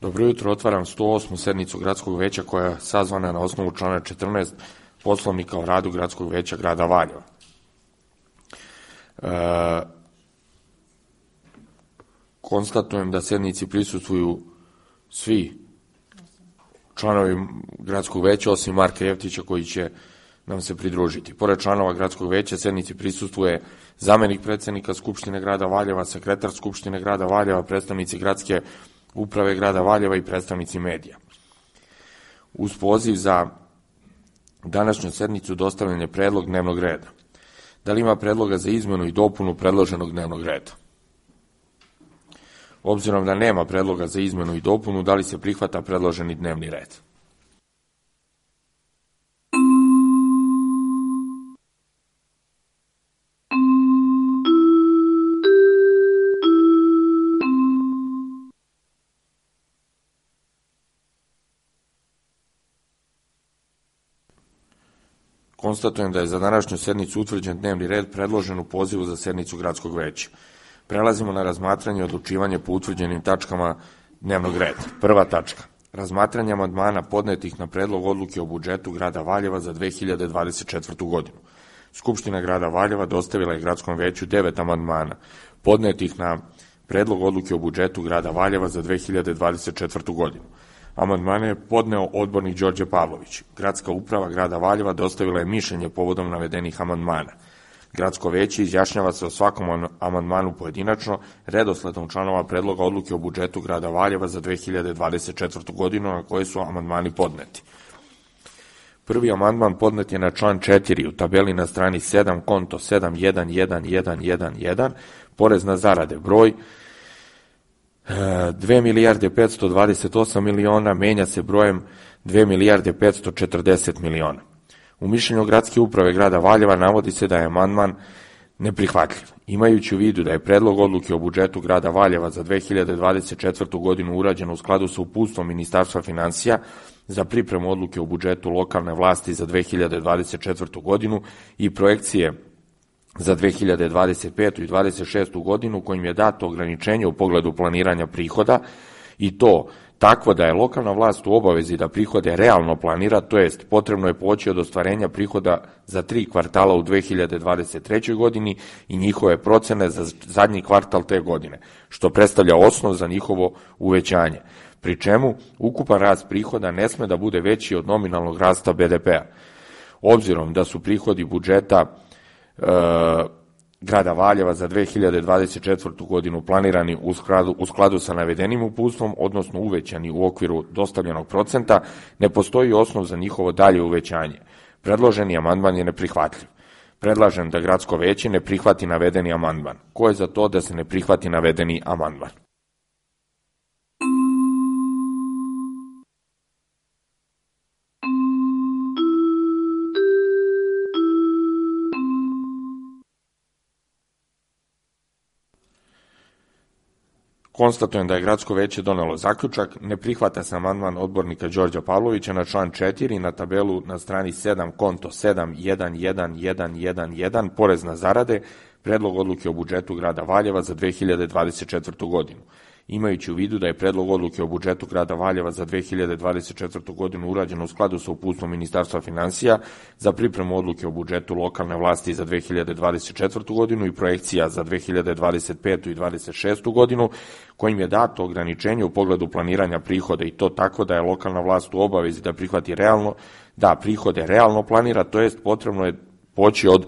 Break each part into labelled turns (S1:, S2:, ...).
S1: Dobro jutro, otvaram 108. sednicu Gradskog veća koja je sazvana na osnovu člana 14 Poslovnika o radu Gradskog veća grada Valjeva. Konstatujem da sednici prisustvuju svi članovi Gradskog veća, osim Marka Jeftića koji će nam se pridružiti. Pored članova Gradskog veća, sednici prisustvuje zamenik predsednika Skupštine grada Valjeva, sekretar Skupštine grada Valjeva, predstavnici Gradske uprave grada Valjeva i predstavnici medija. Uz poziv za današnju sednicu dostavljen je predlog dnevnog reda. Da li ima predloga za izmenu i dopunu predloženog dnevnog reda? Obzirom da nema predloga za izmenu i dopunu, da li se prihvata predloženi dnevni red? Konstatujem da je za današnju sednicu utvrđen dnevni red predložen u pozivu za sednicu Gradskog veća. Prelazimo na razmatranje i odlučivanje po utvrđenim tačkama dnevnog reda. Prva tačka. Razmatranje amandmana podnetih na predlog odluke o budžetu grada Valjeva za 2024. godinu. Skupština grada Valjeva dostavila je Gradskom veću 9 amandmana podnetih na predlog odluke o budžetu grada Valjeva za 2024. godinu. Amandmane je podneo odbornik Đorđe Pavlović. Gradska uprava grada Valjeva dostavila je mišljenje povodom navedenih amandmana. Gradsko veće izjašnjava se o svakom amandmanu pojedinačno, redosledom članova predloga odluke o budžetu grada Valjeva za 2024. godinu na koje su amandmani podneti. Prvi amandman podnet je na član 4 u tabeli na strani 7, konto 711111, porez na zarade, broj 2 milijarde 528 miliona menja se brojem 2 milijarde 540 miliona. U mišljenju Gradske uprave grada Valjeva navodi se da je amandman neprihvatljiv. Imajući u vidu da je predlog odluke o budžetu grada Valjeva za 2024. godinu urađen u skladu sa uputstvom Ministarstva finansija za pripremu odluke o budžetu lokalne vlasti za 2024. godinu i projekcije za 2025. i 2026. godinu kojim je dato ograničenje u pogledu planiranja prihoda i to takvo da je lokalna vlast u obavezi da prihode realno planira, to jest potrebno je poći od ostvarenja prihoda za 3 kvartala u 2023. godini i njihove procene za zadnji kvartal te godine, što predstavlja osnov za njihovo uvećanje, pri čemu ukupan rast prihoda ne sme da bude veći od nominalnog rasta BDP-a. Obzirom da su prihodi budžeta grada Valjeva za 2024. godinu planirani u skladu sa navedenim uputstvom, odnosno uvećani u okviru dostavljenog procenta, ne postoji osnov za njihovo dalje uvećanje. Predloženi amandman je neprihvatljiv. Predlažem da Gradsko veće ne prihvati navedeni amandman. Ko je za to da se ne prihvati navedeni amandman? Konstatujem da je Gradsko veće donelo zaključak, ne prihvata se amandman odbornika Đorđa Pavlovića na član 4 na tabelu na strani 7, konto 711111, porez na zarade, predlog odluke o budžetu grada Valjeva za 2024. godinu. Imajući u vidu da je predlog odluke o budžetu grada Valjeva za 2024. godinu urađen u skladu sa uputstvom Ministarstva finansija za pripremu odluke o budžetu lokalne vlasti za 2024. godinu i projekcija za 2025. i 2026. godinu, kojim je dato ograničenje u pogledu planiranja prihoda i to tako da je lokalna vlast u obavezi da prihvati prihode realno planira, to jest potrebno je poći od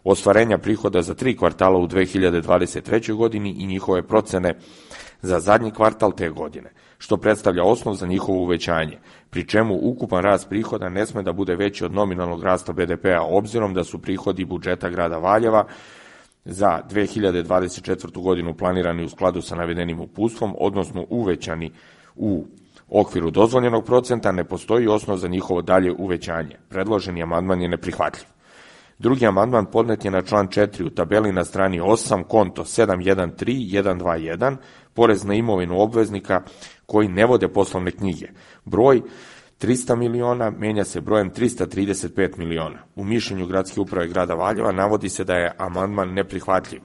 S1: ostvarenja prihoda za 3 kvartala u 2023. godini i njihove procene za zadnji kvartal te godine, što predstavlja osnov za njihovo uvećanje, pri čemu ukupan rast prihoda ne sme da bude veći od nominalnog rasta BDP-a, obzirom da su prihodi budžeta grada Valjeva za 2024. godinu planirani u skladu sa navedenim uputstvom, odnosno uvećani u okviru dozvoljenog procenta, ne postoji osnov za njihovo dalje uvećanje. Predloženi amandman je neprihvatljiv. Drugi amandman podnet je na član 4 u tabeli na strani 8, konto 713121, porez na imovinu obveznika koji ne vode poslovne knjige. Broj 300 miliona menja se brojem 335 miliona. U mišljenju Gradske uprave grada Valjeva navodi se da je amandman neprihvatljiv.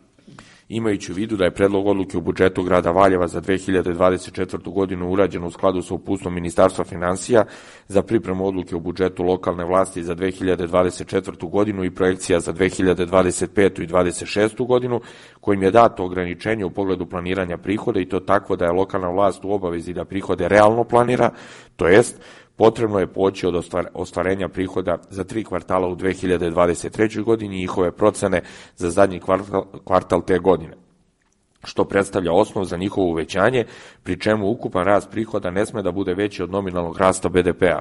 S1: Imajući u vidu da je predlog odluke o budžetu grada Valjeva za 2024. godinu urađen u skladu sa uputstvom Ministarstva finansija za pripremu odluke o budžetu lokalne vlasti za 2024. godinu i projekcija za 2025. i 2026. godinu, kojim je dato ograničenje u pogledu planiranja prihoda i to takvo da je lokalna vlast u obavezi da prihode realno planira, to jest potrebno je poći od ostvarenja prihoda za 3 kvartala u 2023. godini i njihove procene za zadnji kvartal te godine, što predstavlja osnov za njihovo uvećanje, pri čemu ukupan rast prihoda ne sme da bude veći od nominalnog rasta BDP-a.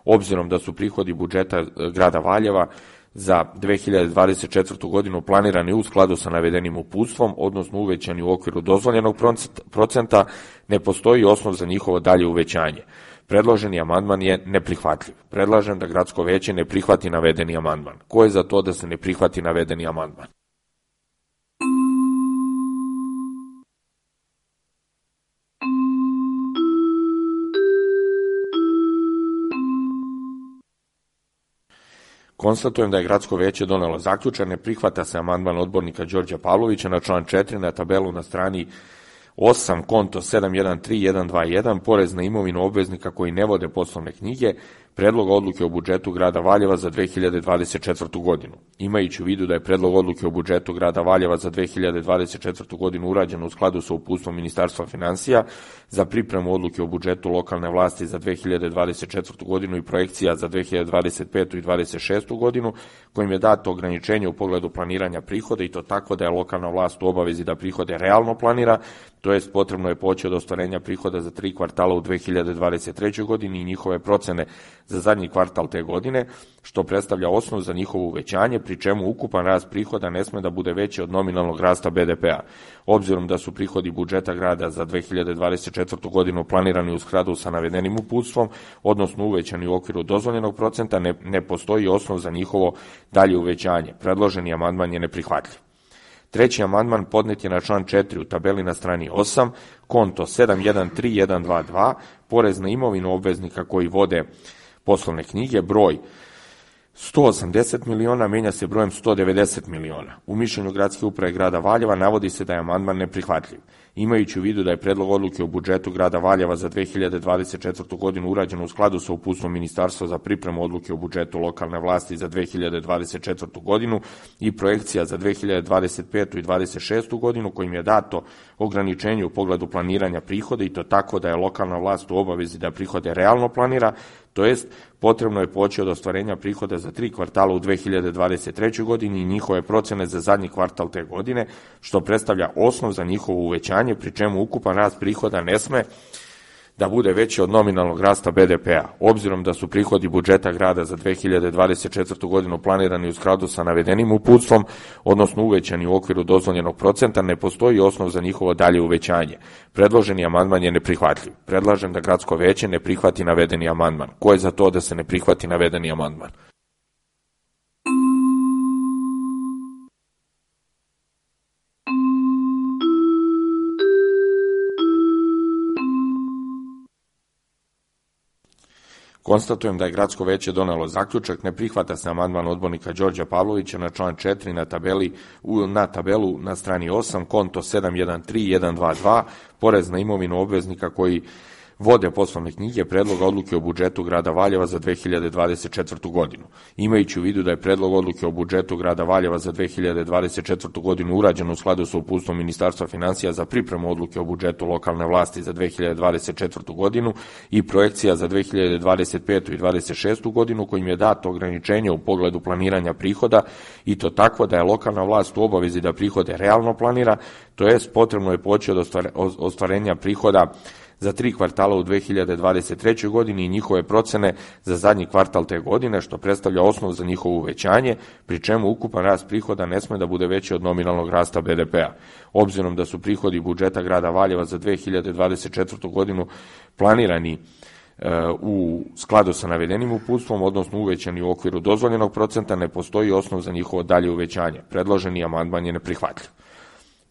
S1: Obzirom da su prihodi budžeta grada Valjeva za 2024. godinu planirani u skladu sa navedenim uputstvom, odnosno uvećani u okviru dozvoljenog procenta, ne postoji osnov za njihovo dalje uvećanje. Predloženi amandman je neprihvatljiv. Predlažem da gradsko veće ne prihvati navedeni amandman. Ko je za to da se ne prihvati navedeni amandman? Konstatujem da je gradsko veće donelo zaključak, ne prihvata se amandman odbornika Đorđa Pavlovića na član 4 na tabelu na strani 8, konto 713121, porez na imovinu obveznika koji ne vode poslovne knjige, predlog odluke o budžetu grada Valjeva za 2024. godinu. Imajući u vidu da je predlog odluke o budžetu grada Valjeva za 2024. godinu urađen u skladu sa uputstvom Ministarstva finansija za pripremu odluke o budžetu lokalne vlasti za 2024. godinu i projekcija za 2025. i 2026. godinu, kojim je dato ograničenje u pogledu planiranja prihoda i to tako da je lokalna vlast u obavezi da prihode realno planira, to jest potrebno je poći od ostvarenja prihoda za 3 kvartala u 2023. godini i njihove procene za zadnji kvartal te godine, što predstavlja osnov za njihovo uvećanje, pri čemu ukupan rast prihoda ne sme da bude veći od nominalnog rasta BDP-a. Obzirom da su prihodi budžeta grada za 2024. godinu planirani u skladu sa navedenim uputstvom, odnosno uvećani u okviru dozvoljenog procenta, ne postoji osnov za njihovo dalje uvećanje. Predloženi amandman je neprihvatljiv. Treći amandman podnet je na član 4 u tabeli na strani 8, konto 713122, porez na imovinu obveznika koji vode poslovne knjige, broj 180 miliona menja se brojem 190 miliona. U mišljenju gradske uprave grada Valjeva navodi se da je amandman neprihvatljiv. Imajući u vidu da je predlog odluke o budžetu grada Valjeva za 2024. godinu urađen u skladu sa uputstvom Ministarstva za pripremu odluke o budžetu lokalne vlasti za 2024. godinu i projekcija za 2025. i 2026. godinu, kojim je dato ograničenje u pogledu planiranja prihoda i to tako da je lokalna vlast u obavezi da prihode realno planira, to jest potrebno je poći od ostvarenja prihoda za 3 kvartala u 2023. godini i njihove procene za zadnji kvartal te godine, što predstavlja osnov za njihovo uvećanje, pri čemu ukupan rast prihoda ne sme da bude veći od nominalnog rasta BDP-a. Obzirom da su prihodi budžeta grada za 2024. godinu planirani u skladu sa navedenim uputstvom, odnosno uvećani u okviru dozvoljenog procenta, ne postoji osnov za njihovo dalje uvećanje. Predloženi amandman je neprihvatljiv. Predlažem da gradsko veće ne prihvati navedeni amandman. Ko je za to da se ne prihvati navedeni amandman? Konstatujem da je gradsko veće donelo zaključak, ne prihvata se amandman odbornika Đorđa Pavlovića na član 4 na tabelu na strani 8, konto 713122, porez na imovinu obveznika koji vode poslovne knjige, predloga odluke o budžetu grada Valjeva za 2024. godinu. Imajući u vidu da je predlog odluke o budžetu grada Valjeva za 2024. godinu urađen u skladu sa uputstvom Ministarstva finansija za pripremu odluke o budžetu lokalne vlasti za 2024. godinu i projekcija za 2025. i 2026. godinu, kojim je dato ograničenje u pogledu planiranja prihoda i to tako da je lokalna vlast u obavezi da prihode realno planira, to jest potrebno je poći od ostvarenja prihoda za 3 kvartala u 2023. godini i njihove procene za zadnji kvartal te godine, što predstavlja osnov za njihovo uvećanje, pri čemu ukupan rast prihoda ne sme da bude veći od nominalnog rasta BDP-a. Obzirom da su prihodi budžeta grada Valjeva za 2024. godinu planirani u skladu sa navedenim uputstvom, odnosno uvećani u okviru dozvoljenog procenta, ne postoji osnov za njihovo dalje uvećanje. Predloženi amandman je neprihvatljiv.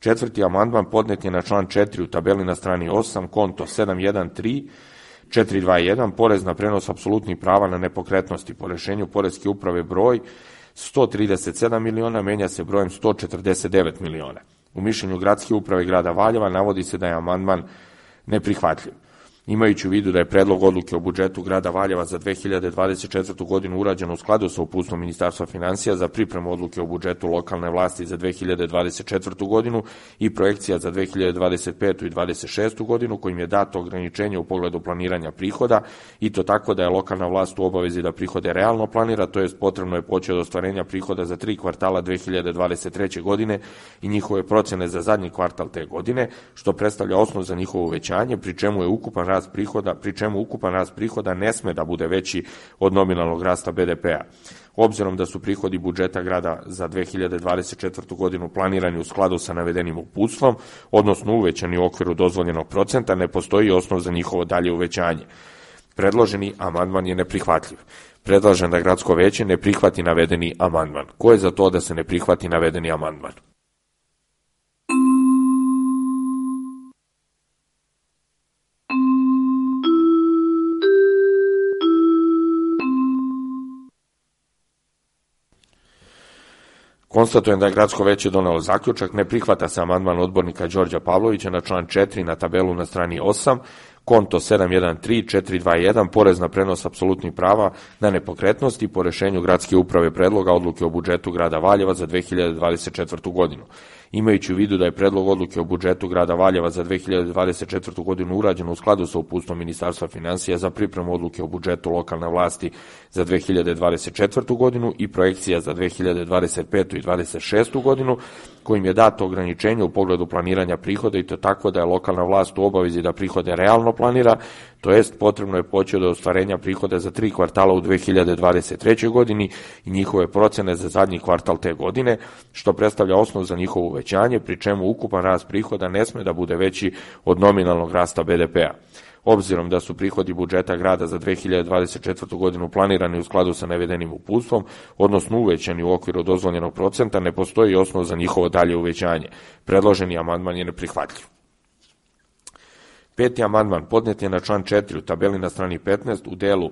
S1: Četvrti amandman podnet je na član 4 u tabeli na strani 8, konto 713421, porez na prenos apsolutnih prava na nepokretnosti. Po rešenju Poreske uprave broj 137 miliona menja se brojem 149 miliona. U mišljenju Gradske uprave grada Valjeva navodi se da je amandman neprihvatljiv. Imajući u vidu da je predlog odluke o budžetu grada Valjeva za 2024. godinu urađen u skladu sa uputstvom Ministarstva finansija za pripremu odluke o budžetu lokalne vlasti za 2024. godinu i projekcija za 2025. i 2026. godinu, kojim je dato ograničenje u pogledu planiranja prihoda, i to tako da je lokalna vlast u obavezi da prihode realno planira, to jest potrebno je poći od ostvarenja prihoda za 3 kvartala 2023. godine i njihove procene za zadnji kvartal te godine, što predstavlja osnov za njihovo uvećanje, pri čemu ukupan rast prihoda ne sme da bude veći od nominalnog rasta BDP-a. Obzirom da su prihodi budžeta grada za 2024. godinu planirani u skladu sa navedenim uputstvom, odnosno uvećani u okviru dozvoljenog procenta, ne postoji osnov za njihovo dalje uvećanje. Predloženi amandman je neprihvatljiv. Predlažem da gradsko veće ne prihvati navedeni amandman. Ko je za to da se ne prihvati navedeni amandman? Konstatujem da je gradsko veće donelo zaključak, ne prihvata se amandman odbornika Đorđa Pavlovića na član 4 na tabelu na strani 8, konto 713421, porez na prenos apsolutnih prava na nepokretnosti po rešenju Gradske uprave predloga odluke o budžetu grada Valjeva za 2024. godinu. Imajući u vidu da je predlog odluke o budžetu grada Valjeva za 2024. godinu urađen u skladu sa uputstvom Ministarstva finansija za pripremu odluke o budžetu lokalne vlasti za 2024. godinu i projekcija za 2025. i 2026. godinu, kojim je dato ograničenje u pogledu planiranja prihoda, i to tako da je lokalna vlast u obavezi da prihode realno planira, to jest potrebno je poći od ostvarenja prihoda za 3 kvartala u 2023. godini i njihove procene za zadnji kvartal te godine, što predstavlja osnov za njihovo uvećanje, pri čemu ukupan rast prihoda ne sme da bude veći od nominalnog rasta BDP-a. Obzirom da su prihodi budžeta grada za 2024. godinu planirani u skladu sa navedenim uputstvom, odnosno uvećani u okviru dozvoljenog procenta, ne postoji osnov za njihovo dalje uvećanje. Predloženi amandman je neprihvatljiv. 5. amandman podnet je na član 4 u tabeli na strani 15 u delu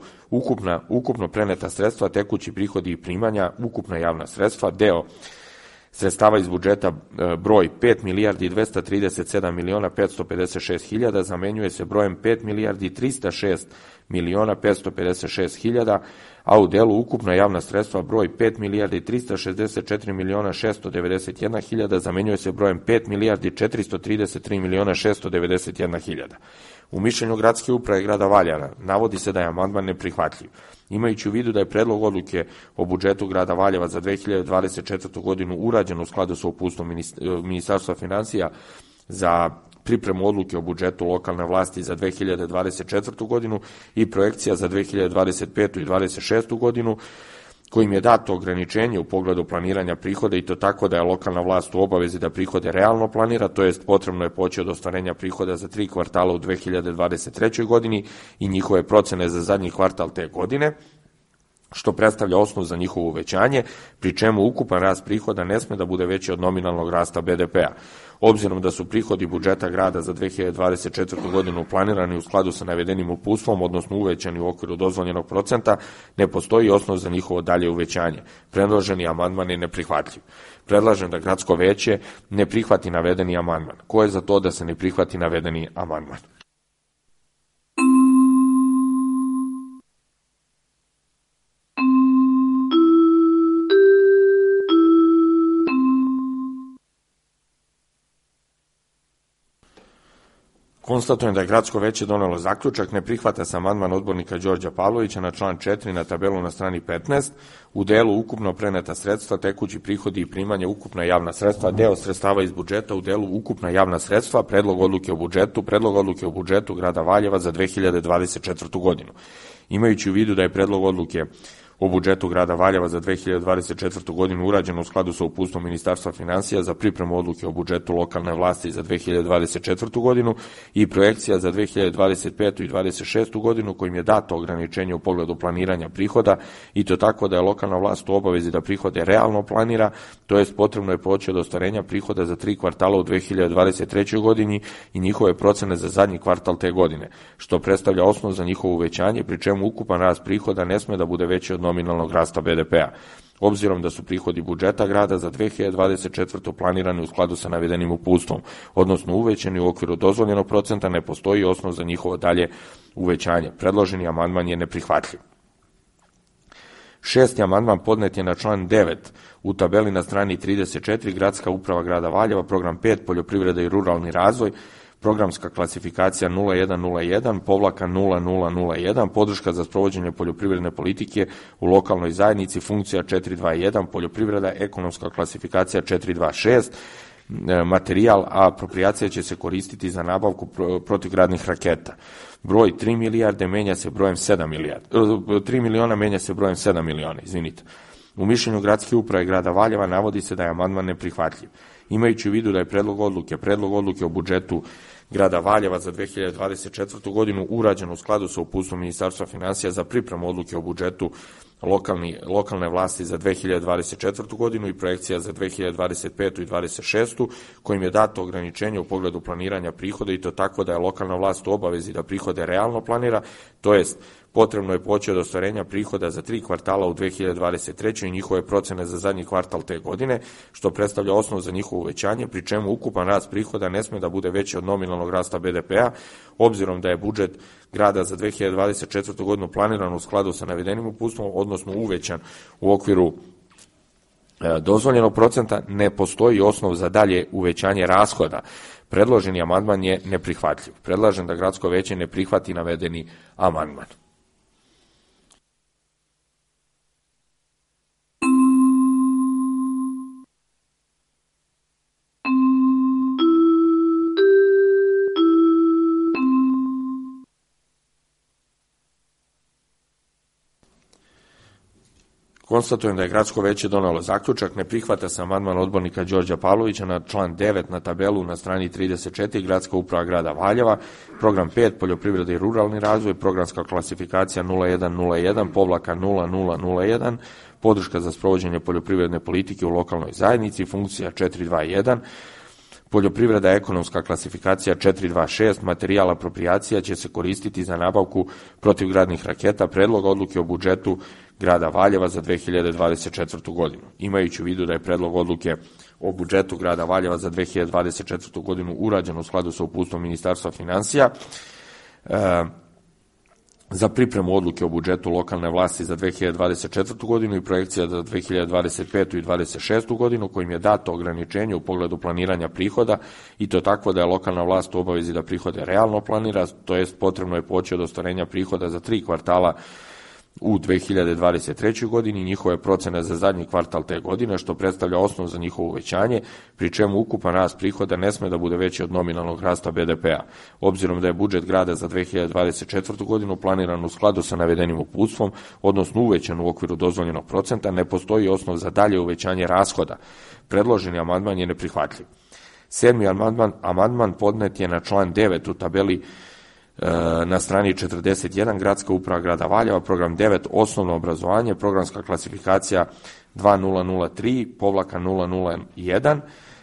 S1: ukupno preneta sredstva, tekući prihodi i primanja, ukupna javna sredstva, deo sredstava iz budžeta broj 5 milijardi 237 miliona 556 hiljada zamenjuje se brojem 5 milijardi 306 miliona 556 hiljada, a u delu ukupna javna sredstva broj 5 milijardi 364 miliona 691 hiljada zamenjuje se brojem 5 milijardi 433 miliona 691 hiljada. U mišljenju Gradske uprave grada Valjeva navodi se da je amandman neprihvatljiv. Imajući u vidu da je predlog odluke o budžetu grada Valjeva za 2024. godinu urađen u skladu sa uputstvom Ministarstva finansija za pripremu odluke o budžetu lokalne vlasti za 2024. godinu i projekcija za 2025. i 2026. godinu, kojim je dato ograničenje u pogledu planiranja prihoda, i to tako da je lokalna vlast u obavezi da prihode realno planira, to jest potrebno je poći od ostvarenja prihoda za 3 kvartala u 2023. godini i njihove procene za zadnji kvartal te godine, što predstavlja osnov za njihovo uvećanje, pri čemu ukupan rast prihoda ne sme da bude veći od nominalnog rasta BDP-a. Obzirom da su prihodi budžeta grada za 2024. godinu planirani u skladu sa navedenim uputstvom, odnosno uvećani u okviru dozvoljenog procenta, ne postoji osnov za njihovo dalje uvećanje. Predloženi amandman je neprihvatljiv. Predlažem da gradsko veće ne prihvati navedeni amandman. Ko je za to da se ne prihvati navedeni amandman? Konstatujem da je gradsko veće donelo zaključak, ne prihvata se amandman odbornika Đorđa Pavlovića na član 4 na tabelu na strani 15 u delu ukupno preneta sredstva, tekući prihodi i primanja, ukupna javna sredstva, deo sredstava iz budžeta u delu ukupna javna sredstva, predlog odluke o budžetu grada Valjeva za 2024. godinu. Imajući u vidu da je predlog odluke o budžetu grada Valjeva za 2024. godinu urađeno u skladu sa uputstvom Ministarstva finansija za pripremu odluke o budžetu lokalne vlasti za 2024. godinu i projekcija za 2025. i 2026. godinu, kojim je dato ograničenje u pogledu planiranja prihoda, i to tako da je lokalna vlast u obavezi da prihode realno planira, to jest potrebno je poći od ostvarenja prihoda za 3 kvartala u 2023. godini i njihove procene za zadnji kvartal te godine, što predstavlja osnov za njihovo uvećanje, pri čemu ukupan rast prihoda ne sme da bude veći od nominalnog rasta BDP-a. Obzirom da su prihodi budžeta grada za 2024. planirani u skladu sa navedenim uputstvom, odnosno uvećani u okviru dozvoljenog procenta, ne postoji osnov za njihovo dalje uvećanje. Predloženi amandman je neprihvatljiv. 6. amandman podnet je na član 9 u tabeli na strani 34, Gradska uprava grada Valjeva, program 5, poljoprivreda i ruralni razvoj, programska klasifikacija 0101-0001, podrška za sprovođenje poljoprivredne politike u lokalnoj zajednici, funkcija 421, poljoprivreda, ekonomska klasifikacija 426, materijal, a apropriacija će se koristiti za nabavku protivgradnih raketa. Broj 3 milijarde menja se brojem 7 milijarde. 3 miliona menja se brojem 7 miliona, izvinite. U mišljenju Gradske uprave grada Valjeva navodi se da je amandman neprihvatljiv. Imajući u vidu da je predlog odluke o budžetu grada Valjeva za 2024. godinu urađen u skladu sa uputstvom Ministarstva finansija za pripremu odluke o budžetu lokalne vlasti za 2024. godinu i projekcija za 2025. i 2026. kojim je dato ograničenje u pogledu planiranja prihoda i to tako da je lokalna vlast u obavezi da prihode realno planira, to jest potrebno je poći od ostvarenja prihoda za 3 kvartala u 2023. i njihove procene za zadnji kvartal te godine, što predstavlja osnov za njihovo uvećanje, pri čemu ukupan rast prihoda ne sme da bude veći od nominalnog rasta BDP-a, obzirom da je budžet grada za 2024. godinu planiran u skladu sa navedenim uputstvom, odnosno uvećan u okviru dozvoljenog procenta, ne postoji osnov za dalje uvećanje rashoda. Predloženi amandman je neprihvatljiv. Predlažem da gradsko veće ne prihvati navedeni amandman. Konstatujem da je gradsko veće donelo zaključak, ne prihvata se amandman odbornika Đorđa Pavlovića na član 9 na tabelu na strani 34, Gradska uprava grada Valjeva, program 5, poljoprivreda i ruralni razvoj, programska klasifikacija 0101-0001, podrška za sprovođenje poljoprivredne politike u lokalnoj zajednici, funkcija 421, poljoprivreda, ekonomska klasifikacija 426, materijal apropriacija će se koristiti za nabavku protivgradnih raketa, predlog odluke o budžetu grada Valjeva za 2024. godinu. Imajući u vidu da je predlog odluke o budžetu grada Valjeva za 2024. godinu urađen u skladu sa uputstvom Ministarstva finansija, za pripremu odluke o budžetu lokalne vlasti za 2024. godinu i projekcija za 2025. i 2026. godinu, kojim je dato ograničenje u pogledu planiranja prihoda i to tako da je lokalna vlast u obavezi da prihode realno planira, to jest potrebno je poći od ostvarenja prihoda za 3 kvartala u 2023. godini i njihove procene za zadnji kvartal te godine, što predstavlja osnov za njihovo uvećanje, pri čemu ukupan rast prihoda ne sme da bude veći od nominalnog rasta BDP-a. Obzirom da je budžet grada za 2024. godinu planiran u skladu sa navedenim uputstvom, odnosno uvećan u okviru dozvoljenog procenta, ne postoji osnov za dalje uvećanje rashoda. Predloženi amandman je neprihvatljiv. 7. amandman podnet je na član 9 u tabeli na strani 41, Gradska uprava grada Valjeva, program 9, osnovno obrazovanje, programska klasifikacija 2003-001,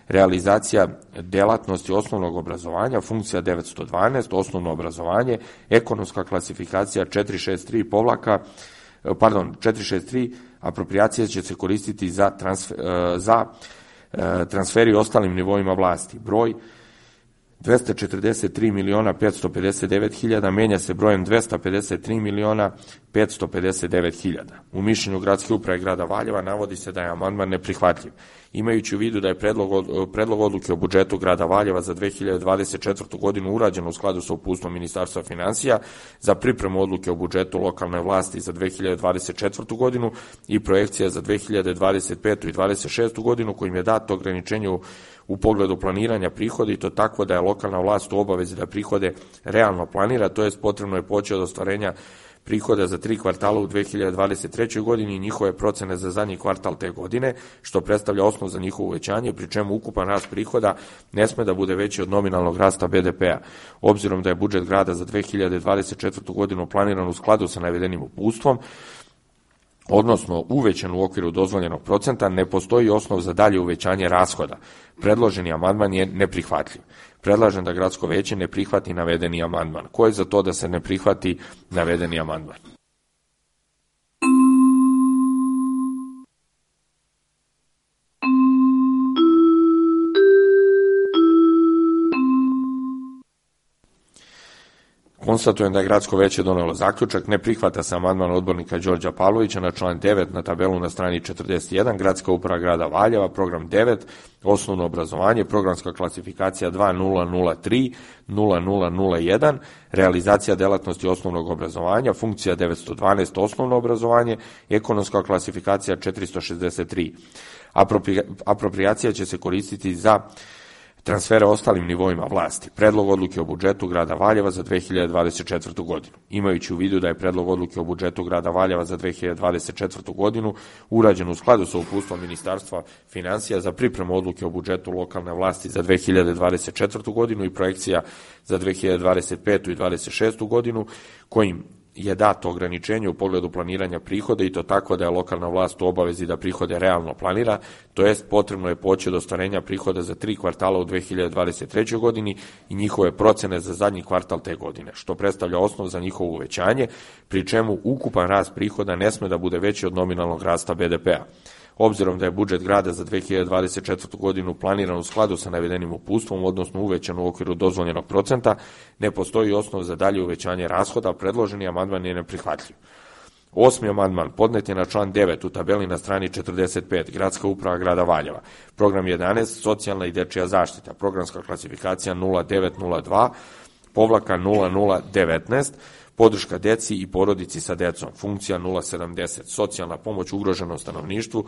S1: realizacija delatnosti osnovnog obrazovanja, funkcija 912, osnovno obrazovanje, ekonomska klasifikacija 463, apropriacija će se koristiti za transferi ostalim nivoima vlasti. Broj 243.559.000 menja se brojem 253.559.000. U mišljenju Gradske uprave grada Valjeva navodi se da je amandman neprihvatljiv. Imajući u vidu da je predlog odluke o budžetu grada Valjeva za 2024. godinu urađen u skladu sa uputstvom Ministarstva finansija za pripremu odluke o budžetu lokalne vlasti za 2024. godinu i projekcija za 2025. i 2026. godinu, kojim je dato ograničenje u pogledu planiranja prihoda i to tako da je lokalna vlast u obavezi da prihode realno planira, to jest potrebno je poći od ostvarenja prihoda za 3 kvartala u 2023. godini i njihove procene za zadnji kvartal te godine, što predstavlja osnov za njihovo uvećanje, pri čemu ukupan rast prihoda ne sme da bude veći od nominalnog rasta BDP-a. Obzirom da je budžet grada za 2024. godinu planiran u skladu sa navedenim uputstvom, odnosno uvećan u okviru dozvoljenog procenta, ne postoji osnov za dalje uvećanje rashoda. Predloženi amandman je neprihvatljiv. Predlažem da gradsko veće ne prihvati navedeni amandman. Ko je za to da se ne prihvati navedeni amandman? Konstatujem da je gradsko veće donelo zaključak, ne prihvata se amandman odbornika Đorđa Pavlovića na član 9 na tabelu na strani 41, Gradska uprava grada Valjeva, program 9, osnovno obrazovanje, programska klasifikacija 2003-0001, realizacija delatnosti osnovnog obrazovanja, funkcija 912, osnovno obrazovanje, ekonomska klasifikacija 463. Aproprijacija će se koristiti za transfere ostalim nivoima vlasti. Predlog odluke o budžetu grada Valjeva za 2024. godinu. Imajući u vidu da je predlog odluke o budžetu grada Valjeva za 2024. godinu urađen u skladu sa uputstvom Ministarstva finansija za pripremu odluke o budžetu lokalne vlasti za 2024. godinu i projekcija za 2025. i 2026. godinu, kojim je dato ograničenje u pogledu planiranja prihoda i to tako da je lokalna vlast u obavezi da prihode realno planira, to jest potrebno je poći od ostvarenja prihoda za 3 kvartala u 2023. godini i njihove procene za zadnji kvartal te godine, što predstavlja osnov za njihovo uvećanje, pri čemu ukupan rast prihoda ne sme da bude veći od nominalnog rasta BDP-a. Obzirom da je budžet grada za 2024. godinu planiran u skladu sa navedenim uputstvom, odnosno uvećan u okviru dozvoljenog procenta, ne postoji osnov za dalje uvećanje rashoda, predloženi amandman je neprihvatljiv. 8. amandman podnet je na član 9 u tabeli na strani 45, Gradska uprava grada Valjeva, program 11, socijalna i dečija zaštita, programska klasifikacija 0902-0019, podrška deci i porodici sa decom, funkcija 070, socijalna pomoć ugroženom stanovništvu,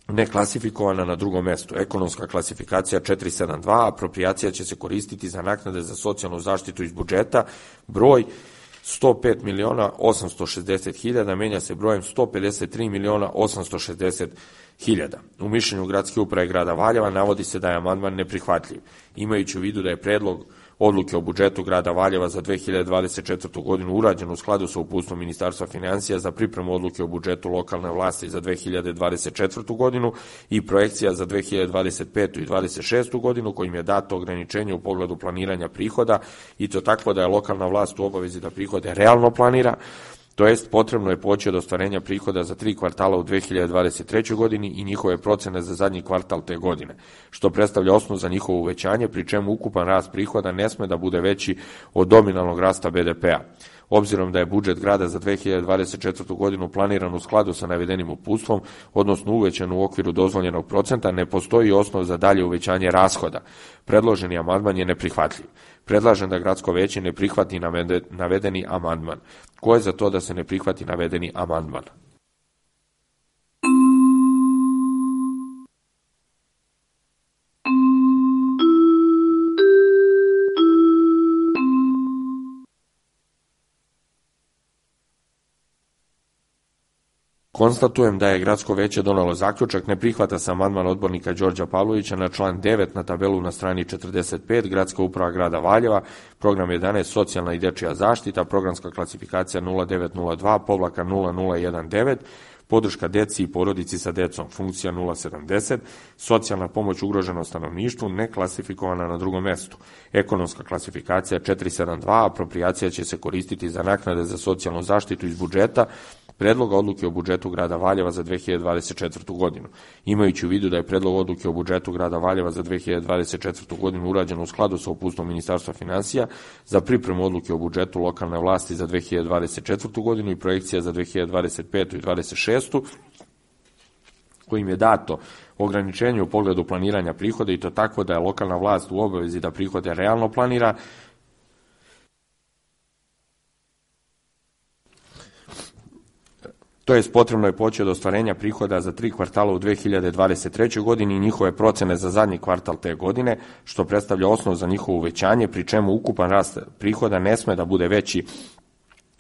S1: neklasifikovana na drugom mestu, ekonomska klasifikacija 472, aproprijacija će se koristiti za naknade za socijalnu zaštitu iz budžeta, broj 105.860.000 menja se brojem 153.860.000. U mišljenju Gradske uprave grada Valjeva navodi se da je amandman neprihvatljiv. Imajući u vidu da je predlog odluke o budžetu grada Valjeva za 2024. godinu urađen u skladu sa uputstvom Ministarstva finansija za pripremu odluke o budžetu lokalne vlasti za 2024. godinu i projekcija za 2025. i 2026. godinu, kojim je dato ograničenje u pogledu planiranja prihoda i to tako da je lokalna vlast u obavezi da prihode realno planira, to jest potrebno je poći od ostvarenja prihoda za 3 kvartala u 2023. godini i njihove procene za zadnji kvartal te godine, što predstavlja osnov za njihovo uvećanje, pri čemu ukupan rast prihoda ne sme da bude veći od nominalnog rasta BDP-a. Obzirom da je budžet grada za 2024. godinu planiran u skladu sa navedenim uputstvom, odnosno uvećan u okviru dozvoljenog procenta, ne postoji osnov za dalje uvećanje rashoda. Predloženi amandman je neprihvatljiv. Predlažem da gradsko veće ne prihvati navedeni amandman. Ko je za to da se ne prihvati navedeni amandman? Konstatujem da je gradsko veće donelo zaključak, ne prihvata se amandman odbornika Đorđa Pavlovića na član 9 na tabelu na strani 45, Gradska uprava grada Valjeva, program 11, socijalna i dečija zaštita, programska klasifikacija 0902-0019, podrška deci i porodici sa decom, funkcija 070, socijalna pomoć ugroženom stanovništvu, neklasifikovana na drugom mestu, ekonomska klasifikacija 472, aproprijacija će se koristiti za naknade za socijalnu zaštitu iz budžeta, Predloga odluke o budžetu grada Valjeva za 2024. godinu. Imajući u vidu da je predlog odluke o budžetu grada Valjeva za 2024. godinu urađen u skladu sa uputstvom Ministarstva finansija za pripremu odluke o budžetu lokalne vlasti za 2024. godinu i projekcija za 2025. i 2026. kojim je dato ograničenje u pogledu planiranja prihoda i to tako da je lokalna vlast u obavezi da prihode realno planira, to jest potrebno je poći od ostvarenja prihoda za 3 kvartala u 2023. godini i njihove procene za zadnji kvartal te godine, što predstavlja osnov za njihovo uvećanje, pri čemu ukupan rast prihoda ne sme da bude veći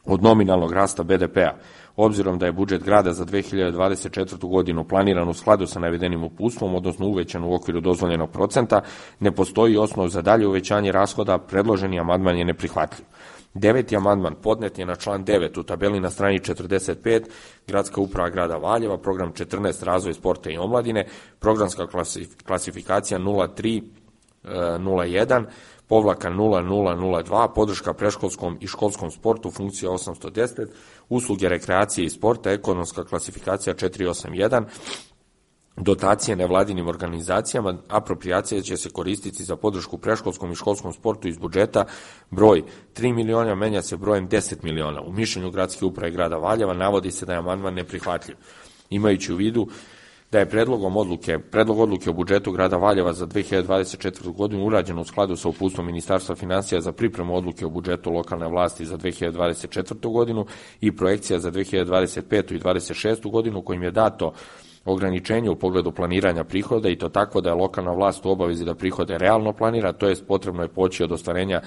S1: od nominalnog rasta BDP-a. Obzirom da je budžet grada za 2024. godinu planiran u skladu sa navedenim uputstvom, odnosno uvećan u okviru dozvoljenog procenta, ne postoji osnov za dalje uvećanje rashoda, predloženi amandman je neprihvatljiv. 9. amandman podnet je na član 9 u tabeli na strani 45, Gradska uprava grada Valjeva, program 14, razvoj sporta i omladine, programska klasifikacija 0301, povlaka 0002, podrška predškolskom i školskom sportu, funkcija 810, usluge rekreacije i sporta, ekonomska klasifikacija 481, dotacije nevladinim organizacijama. Aproprijacija će se koristiti za podršku predškolskom i školskom sportu iz budžeta. Broj 3 miliona menja se brojem 10 miliona. U mišljenju gradske uprave grada Valjeva navodi se da je amandman neprihvatljiv. Imajući u vidu da je predlog odluke o budžetu grada Valjeva za 2024. godinu urađen u skladu sa uputstvom Ministarstva finansija za pripremu odluke o budžetu lokalne vlasti za 2024. godinu i projekcija za 2025. i 2026. godinu, kojim je dato ograničenje u pogledu planiranja prihoda, i to tako da je lokalna vlast u obavezi da prihode realno planira, to jest potrebno je poći od ostvarenja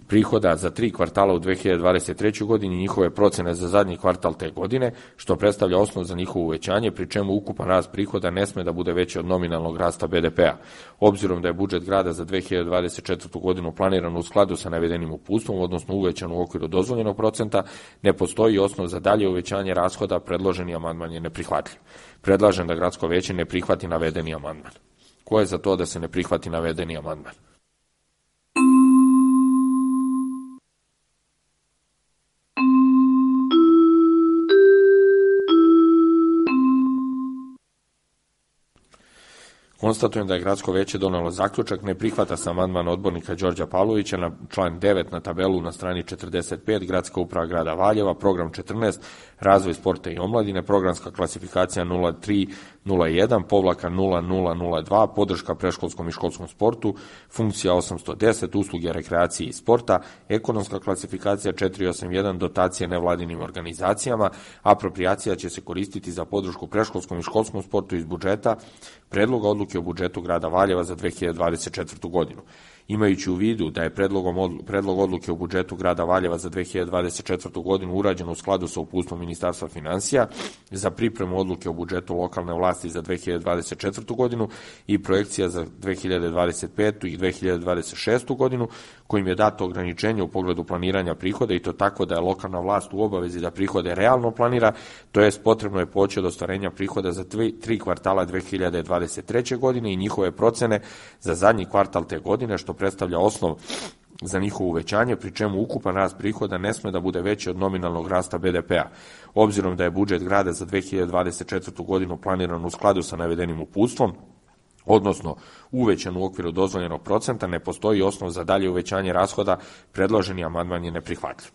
S1: prihoda za 3 kvartala u 2023. godini i njihove procene za zadnji kvartal te godine, što predstavlja osnov za njihovo uvećanje, pri čemu ukupan rast prihoda ne sme da bude veći od nominalnog rasta BDP-a. Obzirom da je budžet grada za 2024. godinu planiran u skladu sa navedenim uputstvom, odnosno uvećan u okviru dozvoljenog procenta, ne postoji osnov za dalje uvećanje rashoda, predloženi amandman je neprihvatljiv. Predlažem da gradsko veće ne prihvati navedeni amandman. Ko je za to da se ne prihvati navedeni amandman? Konstatujem da je gradsko veće donelo zaključak, ne prihvata se amandman odbornika Đorđa Pavlovića na član 9 na tabelu na strani 45, gradska uprava grada Valjeva, program 14, razvoj sporta i omladine, programska klasifikacija 0301-0002, podrška predškolskom i školskom sportu, funkcija 810, usluge rekreacije i sporta, ekonomska klasifikacija 481, dotacije nevladinim organizacijama. Aproprijacija će se koristiti za podršku predškolskom i školskom sportu iz budžeta predloga odluke o budžetu grada Valjeva za 2024. godinu. Imajući u vidu da je predlog odluke o budžetu grada Valjeva za 2024. godinu urađen u skladu sa uputstvom Ministarstva finansija za pripremu odluke o budžetu lokalne vlasti za 2024. godinu i projekcija za 2025. i 2026. godinu, kojim je dato ograničenje u pogledu planiranja prihoda, i to tako da je lokalna vlast u obavezi da prihode realno planira, to jest potrebno je poći od ostvarenja prihoda za 3 kvartala 2023. godine i njihove procene za zadnji kvartal te godine, što predstavlja osnov za njihovo uvećanje, pri čemu ukupan rast prihoda ne sme da bude veći od nominalnog rasta BDP-a. Obzirom da je budžet grada za 2024. godinu planiran u skladu sa navedenim uputstvom, odnosno uvećan u okviru dozvoljenog procenta, ne postoji osnov za dalje uvećanje rashoda, predloženi amandman je neprihvatljiv.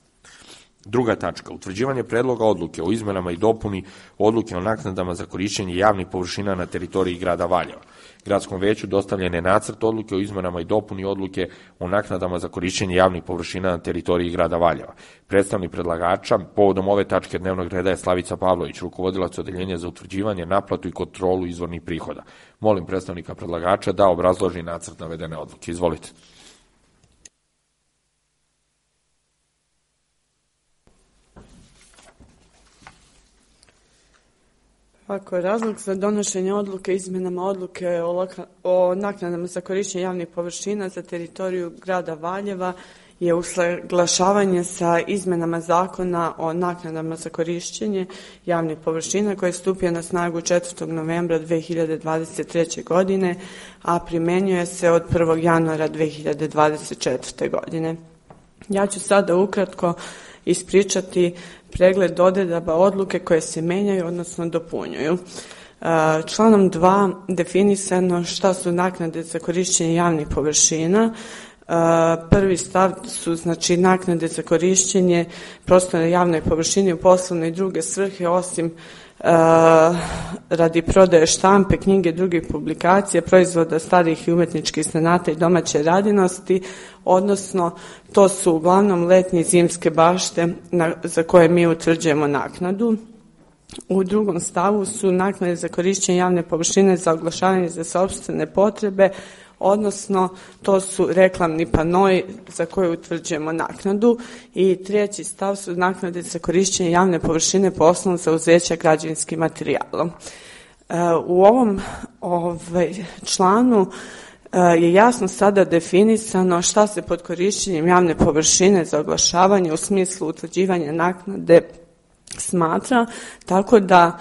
S1: Druga tačka, utvrđivanje predloga odluke o izmenama i dopuni odluke o naknadama za korišćenje javnih površina na teritoriji grada Valjeva. Gradskom veću dostavljen je nacrt odluke o izmenama i dopuni odluke o naknadama za korišćenje javnih površina na teritoriji grada Valjeva. Predstavnik predlagača povodom ove tačke dnevnog reda je Slavica Pavlović, rukovodilac odeljenja za utvrđivanje, naplatu i kontrolu izvornih prihoda. Molim predstavnika predlagača da obrazloži nacrt navedene odluke. Izvolite.
S2: Ako razlog za donošenje odluke izmenama odluke o naknadama za korišćenje javnih površina za teritoriju grada Valjeva je usaglašavanje sa izmenama zakona o naknadama za korišćenje javnih površina koji je stupio na snagu 4. novembra 2023. godine, a primenjuje se od 1. januara 2024. godine. Ja ću sada ukratko ispričati pregled odredaba odluke koje se menjaju, odnosno dopunjuju. Članom 2 definisano šta su naknade za korišćenje javnih površina. Prvi stav su znači naknade za korišćenje prostora javne površine u poslovne i druge svrhe, osim radi prodaje štampe, knjige, drugih publikacija, proizvoda starih i umetničkih zanata i domaće radinosti, odnosno to su uglavnom letnje i zimske bašte za koje mi utvrđujemo naknadu. U drugom stavu su naknade za korišćenje javne površine za oglašavanje za sopstvene potrebe, odnosno to su reklamni panoi za koje utvrđujemo naknadu, i treći stav su naknade za korišćenje javne površine po osnovu zauzeća građevinskim materijalom. U ovom članu je jasno sada definisano šta se pod korišćenjem javne površine za oglašavanje u smislu utvrđivanja naknade smatra, tako da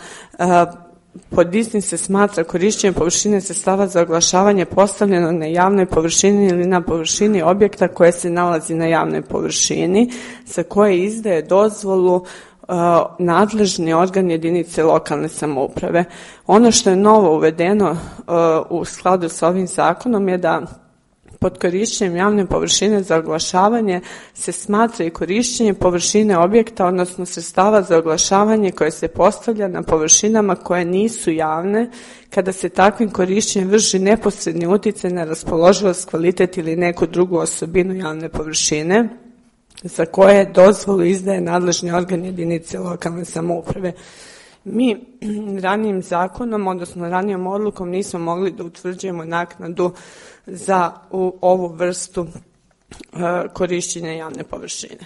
S2: pod istim se smatra korišćenje površine sredstava za oglašavanje postavljeno na javnoj površini ili na površini objekta koje se nalazi na javnoj površini, za koje izdaje dozvolu nadležni organ jedinice lokalne samouprave. Ono što je novo uvedeno u skladu sa ovim zakonom je da pod korišćenjem javne površine za oglašavanje se smatra i korišćenje površine objekta, odnosno sredstava za oglašavanje koje se postavlja na površinama koje nisu javne, kada se takvim korišćenjem vrši neposredni uticaj na raspoloživost, kvalitet ili neku drugu osobinu javne površine, za koje dozvolu izdaje nadležni organ jedinice lokalne samouprave. Mi ranijim zakonom, odnosno ranijom odlukom, nismo mogli da utvrđujemo naknadu za ovu vrstu korišćenja javne površine.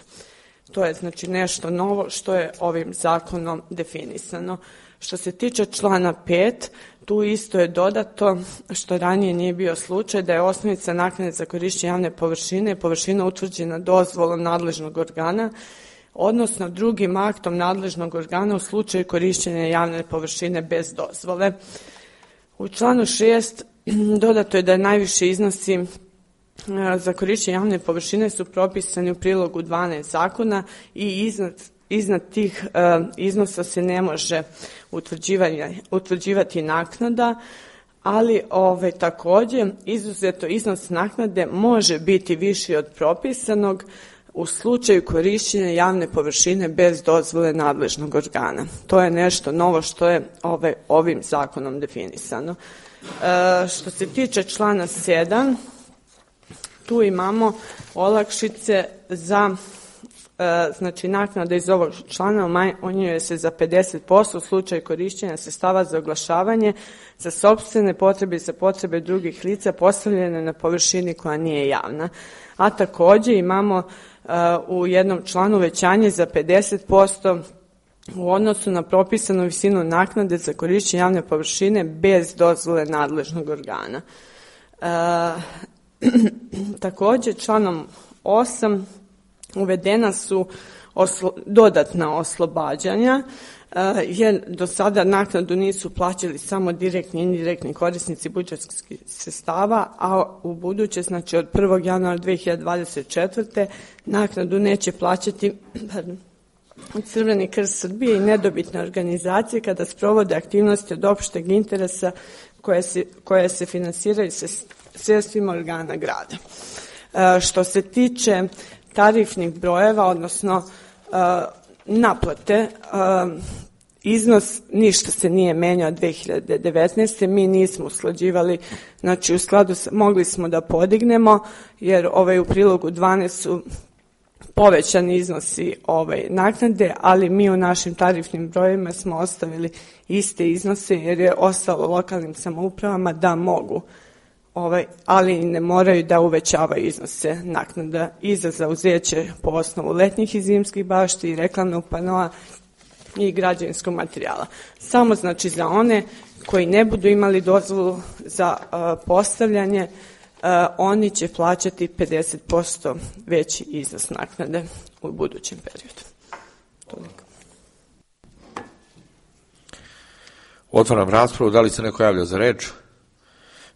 S2: To je znači nešto novo što je ovim zakonom definisano. Što se tiče člana 5, tu isto je dodato, što ranije nije bio slučaj, da je osnovica naknade za korišćenje javne površine površina utvrđena dozvolom nadležnog organa, odnosno drugim aktom nadležnog organa u slučaju korišćenja javne površine bez dozvole. U članu 6 dodato je da najviše iznosi za korišćenje javne površine su propisani u prilogu 12 zakona i iznad tih iznosa se ne može utvrđivati naknada, ali takođe izuzeto iznos naknade može biti viši od propisanog u slučaju korišćenja javne površine bez dozvole nadležnog organa. To je nešto novo što je ovim zakonom definisano. Što se tiče člana 7, tu imamo olakšice za znači naknada iz ovog člana umanjuje se za 50% u slučaju korišćenja sredstava za oglašavanje za sopstvene potrebe i za potrebe drugih lica postavljene na površini koja nije javna. A takođe imamo u jednom članu uvećanje za 50% u odnosu na propisanu visinu naknade za korišćenje javne površine bez dozvole nadležnog organa. Takođe, članom 8 uvedena su dodatna oslobađanja, jer do sada naknadu nisu plaćali samo direktni i indirektni korisnici budžetskih sredstava, a u buduće, znači od 1. januara 2024. naknadu neće plaćati Crveni krst Srbije i nedobitne organizacije kada sprovode aktivnosti od opšteg interesa koje se finansiraju sredstvima organa grada. Što se tiče tarifnih brojeva, odnosno naplate, iznos ništa se nije menjao 2019. Mi nismo usklađivali, znači u skladu mogli smo da podignemo, jer u prilogu 12 su povećani iznosi naknade, ali mi u našim tarifnim brojevima smo ostavili iste iznose, jer je ostalo lokalnim samoupravama da mogu, ali ne moraju da uvećavaju iznose naknada i za zauzeće po osnovu letnjih i zimskih bašti i reklamnog panoa i građevinskog materijala. Samo znači za one koji ne budu imali dozvolu za postavljanje, oni će plaćati 50% veći iznos naknade u budućem periodu. Toliko.
S1: Otvaram raspravu. Da li se neko javlja za reč?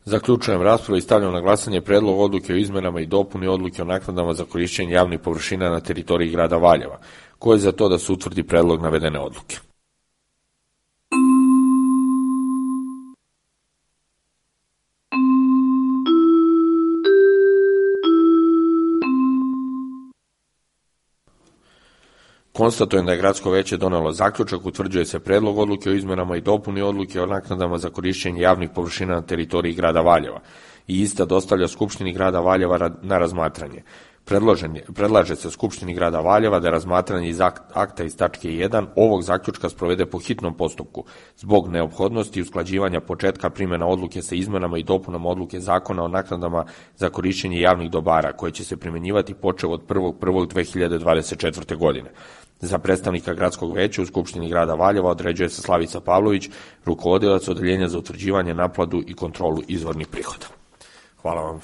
S1: Zaključujem raspravu i stavljam na glasanje predlog odluke o izmenama i dopuni odluke o naknadama za korišćenje javnih površina na teritoriji grada Valjeva. Ko je za to da se utvrdi predlog navedene odluke? Konstatujem da je Gradsko veće donelo zaključak, utvrđuje se predlog odluke o izmenama i dopuni odluke o naknadama za korišćenje javnih površina na teritoriji grada Valjeva i ista dostavlja Skupštini grada Valjeva na razmatranje. Predlaže se Skupštini grada Valjeva da razmatranje iz akta iz tačke 1 ovog zaključka sprovede po hitnom postupku zbog neophodnosti usklađivanja početka primjena odluke sa izmenama i dopunama odluke zakona o naknadama za korišćenje javnih dobara koje će se primjenjivati počev od 1.1.2024. godine. Za predstavnika Gradskog veća u Skupštini grada Valjeva određuje se Slavica Pavlović, rukovodilac Odeljenja za utvrđivanje, naplatu i kontrolu izvornih prihoda. Hvala vam.